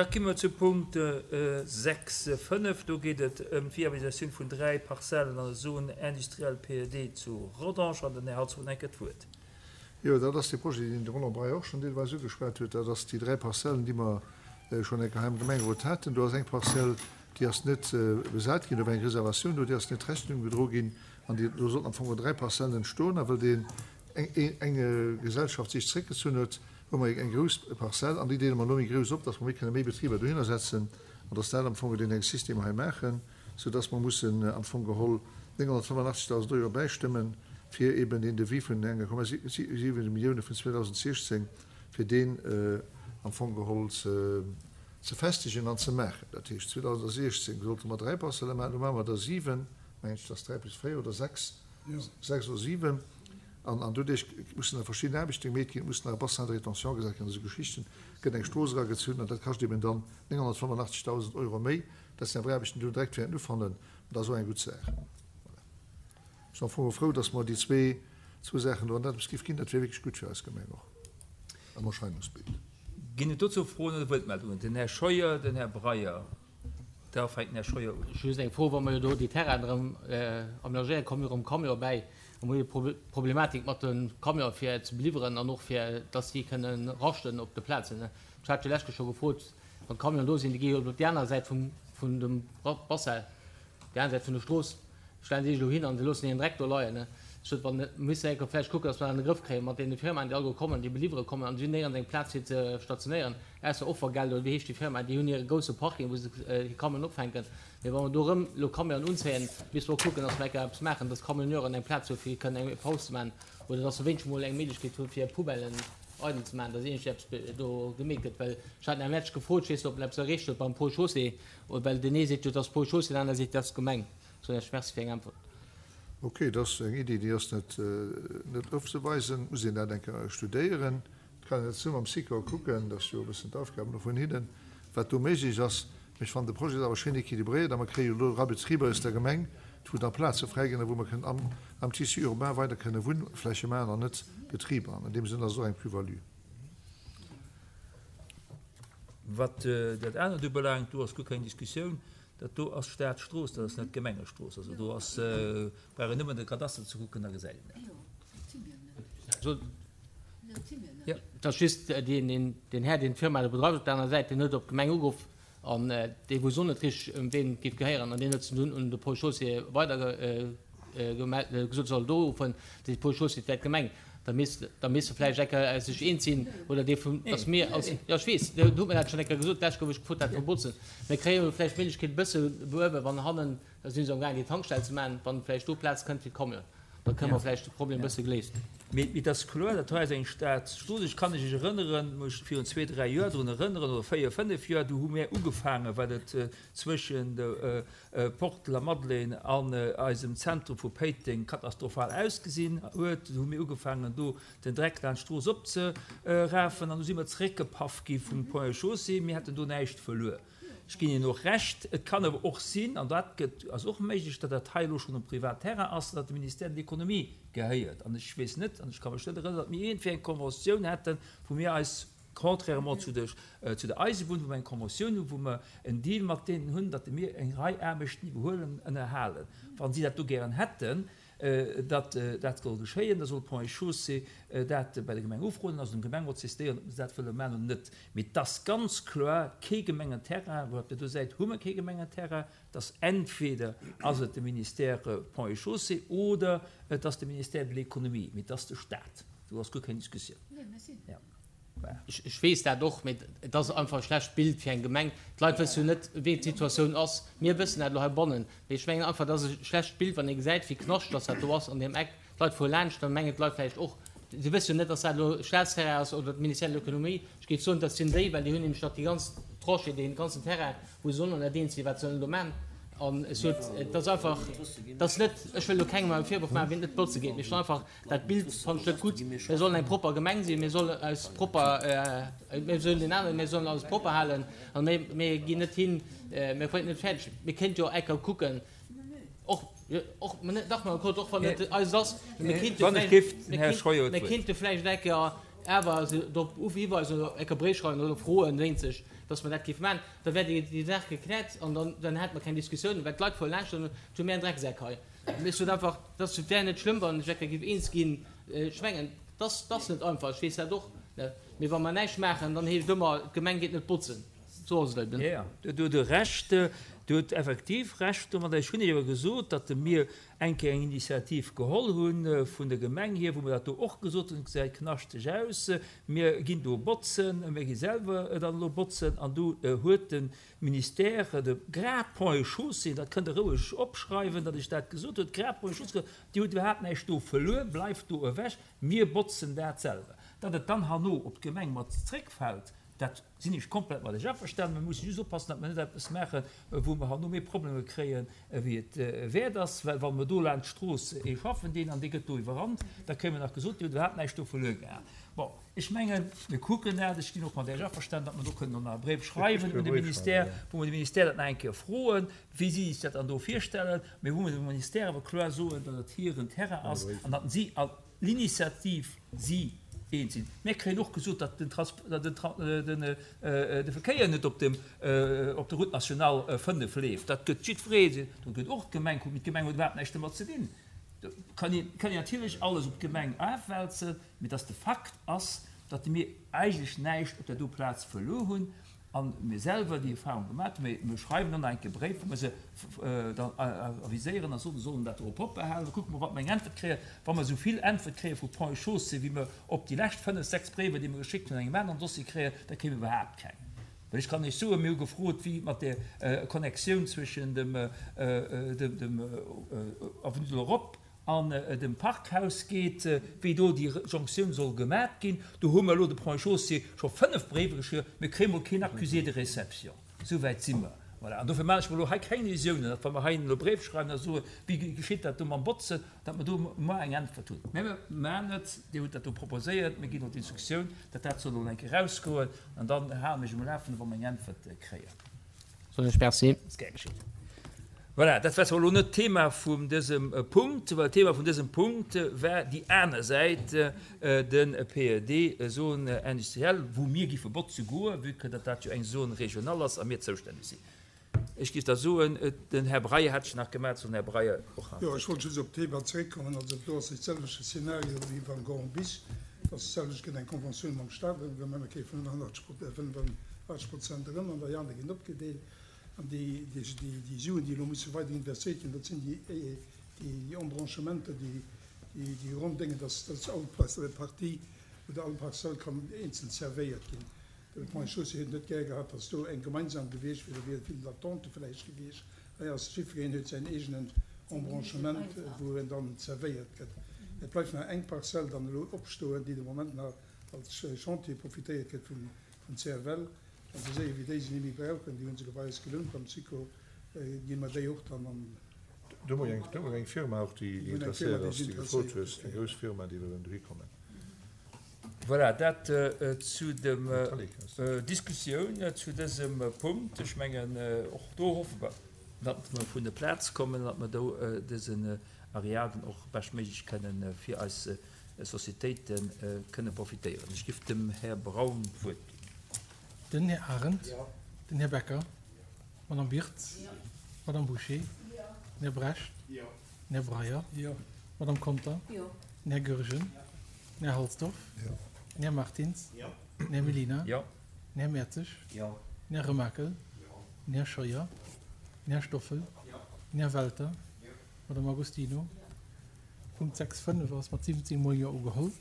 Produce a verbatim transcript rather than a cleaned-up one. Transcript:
Da komme mer zu Punkt sechs fënnef. Do geet et ëm d'Viabilisatioun vun dräi Parzellen an der Zone industrielle P E D zu Rodange. An den Här Hartz huet eng Kéier d'Wuert. Jo, dat ass dee Projet, deen de Roland Breyer och schonn deelweis ugeschwat huet. Dat ass déi dräi Parzellen, déi mer schonn eng Kéier hei am Gemengerot haten. Do ass eng Parzell, déi ass net besat ginn, do war eng Reservatioun do, déi ass net Rechnung gedro ginn. An déi, do sollten am Fong dräi Parzellen entstoen. A well deen eng, eng Gesellschaft sech zréckgezunn huet, hu mer eng grouss Parzell an déi deele mer elo méi grouss op, dass mer méi kënne méi Betriber dohinner setzen an dass dat am Fong deen eng System hei maachen, soudass mer mussen am Fong geholl nénghonnertfënnefenachtzegdausend Euro bäistëmmen, fir eben deen Devis vun enger Komma siwen Millioune vun zweedausendsechzéng, fir deen am Fong geholl ze ze festegen an ze maachen. Dat heescht, zweedausendsechzéng sollte mer dräi Parzelle maachen, elo maache mer der siwen, mengen ech, dass dräi plus véier oder sechs, sechs oder siwen. An an doduerch mussen da verschidden Aarbechte gemeet ginn, et muss nach e Bassin de rétention gesat ginn, esou Geschichten, gëtt eng Strooss eragezunn an dat kascht eben dann nénghonnertfënnefenachtzegdausend Euro méi. Dat sinn awer Aarbechten, déi do direkt wäerten ufannen, an dat ass och eng gutt Saach. Voilà. Ech sinn am Fong och frou, dass mer déi zwee, zwou Saachen do an dat eppes géif ginn, dat wier wierklech gutt fir eis Gemeng och am Erscheinungsbild. Ginn et dozou Froen oder Wuertmeldungen? Den Här Scheuer, den Här Breyer. Da fänkt den Här Scheuer un. Just eng Fro, Wa mer jo do déi Terrainen erëm amenagéieren, komme jo erëm Camionë bäi. A mer hu jo d'Problematik mat de Camionë fir ze beliwweren an och fir dass déi kënnen raschten op de Plazen. Ech hat jo lech scho gefrot, wann d'Camionen do sinn, déi gi jo op déi aner Säit vum, vun dem Bassin, déi aner Säit vun der Strooss, stellen si sech elo hin an se loossen hiren Dreck do leien. Ech sot, wann, misste enke vläicht kucken, dass mer dat an de Grëff kréien mat deene Firmaen, déi alleguer kommen, déi beliwwere kommen an si hunn néierens eng Plaz fir ze stationéieren, ausser Offergeld oder wéi heescht déi Firma, déi hunn hire grousse Parking, wou se hir Camionen opfänken. Mee wa mer do erëm elo Camionen unzéien, misste mer och kucken, dass mer enke eppes maachen, dass d'Camionneuren eng Plaz hu fir kënnen eng Paus ze maachen oder dass se wéinstens mol eng Méiglechkeet hu fir Poubellen eidel ze maachen, dass iergendwéi eppes do gemeet gëtt. Well ech hat en Match gefrot, ech weess net, ob en eppes erreecht huet beim Ponts et Chaussées, well deen ee seet jo, et ass Ponts et Chaussées, deen aner seet, et ass d'Gemeng. Soen ech Merci fir eng Äntwert. Ok, dat ass eng Iddi, déi ass net net ofzeweisen. Muss een dat eng Kéier studéieren. Et kann een dat zesumme mam Sikor kucken, dat ass jo e bëssen d'Aufgab elo vun hinnen, wat do méiglech ass. Mee ech fannen de Projet awer schéin équilibréiert a mer kréie jo elo era Betriber aus der Gemeng, wou da Plaze fräi ginn a wou mer kënnen am am Tissu urbain weider kënne Wunnfläche maachen an net Betriber. An an deem Sënn ass et och eng Plus-value. Wat dat anert ubelaangt, do ass guer keng Diskussioun. Dat do ass Staatsstrooss, dat ass net Gemengestrooss. Also do ass, brauch een nëmmen de Kadaster ze kucken, da gesäit een dat. Et ass just deen Här, deen d'Firma do bedreift op der anerer Säit, deen huet op d'Gemeng ugeruff an dee wousst och net richteg, ëm ween et géif gehéieren an deen huet se dunn un de Ponts et Chaussées weider gesot, soll do uruffen. De Ponts et Chaussées, et wär d'Gemeng. Da misst, da misste vläicht eng Kéier sech eens sinn oder dee vun, dass mir als, jo ech weess, do huet mir dat schonn eng Kéier gesot, d'lescht gouf ech gefrot dat verbotzen. Mir kréie jo vläicht d'Méiglechkeet e bësse beuewen, wann hannen, da si se amgaangen déi Tankstell ze maachen, wann vläicht do Plaz kënnt fir d'Camionen, da kënne mer vläicht de Problem e bësse geléist. Mee et ass kloer, dat hei ass eng Staatsstrooss. Ech kann mech erënneren, mech virun zwee, dräi Joer drun erënneren, oder véier, fënnef Joer, do hu mir ugefaangen, well et zwëschen de Porte de la Madeleine an eisem Zentrum vu Péiteng katastrophal ausgesinn huet. Du hu mir ugefaangen, do den Dreck laanscht d'Strooss opzerafen an du si mer zeréckgepaff gi vum Ponts et Chaussées. Mir hätten do näischt verluer. Ech ginn Ihnen och Recht. Et kann awer och sinn, an dat gëtt, ass och méiglech, datt dat hei elo schonn um Privatterrain ass, datt de Ministère de l'Économie gehéiert. An ech weess net, an ech ka mech net erënneren, datt mir iergendwéi eng Conventioun hätten, wou mir eis, contrairement zu der, zu der Eisebunn, wou mer eng Conventioun hunn, wou mer en Deal mat deenen hunn, datt mir eng Rei Aarbechten iwwerhuelen, ënnerhalen. Wa si dat do gären hätten, datt dat soll geschéien, da soll Ponts et Chaussées dat bei der Gemeng ufroen, also dem Gemengerot zistéieren, ob se dat wëlle maachen oder net. Mee et ass ganz kloer kee Gemengenterrain, wou op där do Säit hu mer kee Gemengenterrain. Et ass entweder ass et de Ministère Ponts et Chaussées oder et ass de Ministère de l'Économie, mee et ass de Stat. Do ass guer keng Diskussioun. Ech weess dat och, mee et ass einfach e schlecht Bild fir eng Gemeng. D'Leit wësse jo net, wéi d'Situatioun ass. Mir wëssen dat elo heibannen, mee ech mengen einfach, et ass e schlecht Bild, wann ee gesäit, wéi knascht dass dat do ass an deem Eck. D'Leit fuere laanscht, da mengen d'Leit vläicht och, si wësse jo net, dass dat elo Staatsterrain ass oder d'Ministère de l'Économie. Ech géif soen, dat sinn déi, well déi hunn nämlech nach déi ganz Tranchée, dee ganzen Terrain, wou se sollen an net eens sinn, wat se sollen do maachen. An ech sot, et ass einfach, et ass net, ech wëll elo kengem e Virwurf maachen, wien et net botze geet, mee ech soen einfach, dat Bild fannen ech net gutt. Mir sollen eng propper Gemeng sinn, mir sollen eis propper, mir soen den aneren, mir sollen alles propper halen an mir, mir ginn net hin, mir bréngen et net fäerdeg. Mir kéinte jo eng Kéier kucken, och, och, dach, Madame Kott, och wann et eist ass, mee mir kéinte vläicht, mir kéinte vläicht eng Kéier awer se drop hiweisen oder eng Kéier Bréif schreiwen oder froen, wéinst sech, dass mer dat géife maachen, da wär déi Saach gekläert an dann, dann hätte mer keng Diskussioun, well d'Leit fuere laanscht an hu mir en Drecksak hei. Ech sot einfach, dass et wär net schlëmm, wann ech géif eens ginn. Ech mengen, dass ass net einfach, ech weess dat och, mee wa mer näischt maachen, dann heescht et ëmmer, d'Gemeng geet net botzen. Sou ass et eben. Jo, do hutt Der Recht, Dir hutt effektiv Recht domadder. Ech hunn Iech awer gesot, datt mir eng Kéier eng Initiativ geholl hu vun der Gemeng hier, wou mer dat do och gesot hunn, et gesäit knaschteg aus, mir ginn do botzen, mir gi selwer dann elo botzen. An do huet de Ministère, de grad Ponts et Chaussées, dat kënnt Der roueg opschreiwen, datt ech dat gesot hunn, grad Ponts et Chaussées gesot, Dir hutt iwwerhaapt näischt do verluer, bleift do ewech, mir botzen dat selwer. Datt et dann herno op d'Gemeng mat zréckfält, dat sinn ech komplett mat lech averstanen. Mir musse just oppassen, datt mer net eppes maachen, wou mer herno méi Problemer kréien, wéi et wäert ass. Well wa mer do laanscht d'Strooss ee schaffen dinn an dee gëtt do iwwerrannt, da kréie mer nach gesot, Dir hutt iwwerhaapt näischt do verluer gehat. Bon, ech mengen, mir kucken dat. Ech ginn och mat Iech averstanen, datt mer do kënnen nach e Bréif schreiwen un de Ministère, wou mer de Ministère dat nach eng Kéier froen, wéi si sech dat dann do virstellen, mee wou mer dem Ministère awer kloer soen, datt et hiren Terrain ass an datt si an l'initiative si eens sinn. Mir kréien och gesot, datt den de Verkéier net op dem op der Route nationale fënnef leeft. Dat gëtt jiddweree, do gëtt och d'Gemeng kucken, mee d'Gemeng huet iwwerhaapt näischt domat ze dinn. Do kann een kann een natierlech alles op d'Gemeng afwälzen, mee datt de Fakt ass, datt mir eigentlech näischt op där do Plaz verluer hunn a mir selwer déi Erfahrung gemaat hunn. Mee mir schreiwen dann nach eng Kéier Bréif, wou mir se dann aviséieren a soen, se sollen dat dorop opbehalen. Da kucke mer, wat mer eng Äntwert kréien. Wa mer esou vill Äntwert kréie vu Ponts et Chaussées, wéi mer op déi lescht fënnef, sechs Bréiwer, déi mer geschéckt hunn, an engem aneren Dossier kréien, da kréie mer iwwerhaapt keng. Well ech kann Iech soen, mir hu gefrot, wéi et mat där Connectioun zwëschen dem Avenue de l'Europe an dem Parkhaus geet, wéi do déi Jonktioun soll gemat ginn. Do hu mer elo de Ponts et Chaussées scho fënnef Bréiwer geschriwwen, mir kréie mol keen Accusé de réception. Esou wäit si mer. Voilà. An dofir maache ech mer elo hei keng Illusiounen, datt wa mer hei elo e Bréif schreiwen a soen, wéi geschitt dat do mam Botzen, datt mer do muer eng Äntwert hunn. Mä mir maachen et, Dir hutt dat do proposéiert, mir ginn elo d'Instruktioun, datt dat soll elo eng Kéier erausgoen, an dann hale mir iech um Lafenden, wa mer eng Äntwert kréien. Soen ech Merci. Ass gär geschitt. Voilà, dat war zwar elo net d'Thema vum dësem Punkt, well d'Thema vun dësem Punkt war déi aner Säit, de P E D, Zone industrielle, wou mir giffe botze goen, vue que datt dat jo eng Zone régionale ass a mir zoustänneg sinn. Ech géif da soen, den Här Breyer hat sech nach gemellt, soll den Här Breyer och nach. Jo, ech wollt just op d'Thema zeréckkommen. Also do ass dee selwechte Szenario wéi beim Grand Bis, dass et selwecht gëtt, eng Conventioun mam Stat, wou mer kréie fënnefachtzeg Prozent erëm an déi aner ginn opgedeelt. An déi Suen, déi elo musse weider investéiert ginn, dat sinn déi Embranchementer, déi ronn Déngen, dass all Partie oder all Parzell kann eenzel servéiert ginn. De Ponts et Chaussées huet net gär gehat, dass do eng gemeinsam gewiescht wier, da wier vill Attente vläicht gewiescht. Hei ass jiddwereen huet säin eegenen Embranchement, wou en dann servéiert gëtt. Et bleift nach eng Parzell dann elo opstoen, déi de Moment nach als Chantier profitéiert gëtt vum C F L. Wann se séier wéi déi se ni méi brauchen, déi hu se bei eis gelount beim Syco, gi mer déi och dann an. Do hu mer eng Firma och, déi interesséiert ass, déi gefrot huet, eng grouss Firma, déi wëllen dohi kommen. Voilà, dat zu der Diskussioun zu dësem Punkt. Ech mengen, och do hoffe mer, datt mer vun der Plaz kommen, datt mer do dësen Areal dann och beschtméiglech kënnen fir eis Sociétéite kënne profitéieren. Ech giff dem Här Braun d'Wuert ginn. Den Här Arendt, den Här Becker, d'Madame Birtz, d'Madame Bouché, den Här Brecht, den Här Breyer, d'Madame Conter, den Här Goergen, den Här Halsdorf, den Här Martins, den Här Mellina, den Här Mertzig, den Här Remakel, den Här Scheuer, den Här Stoffel, den Här Welter, d'Madame Agostino. Punkt sechs fënnef ass mat siwwenzéng Mol Jo ugeholl.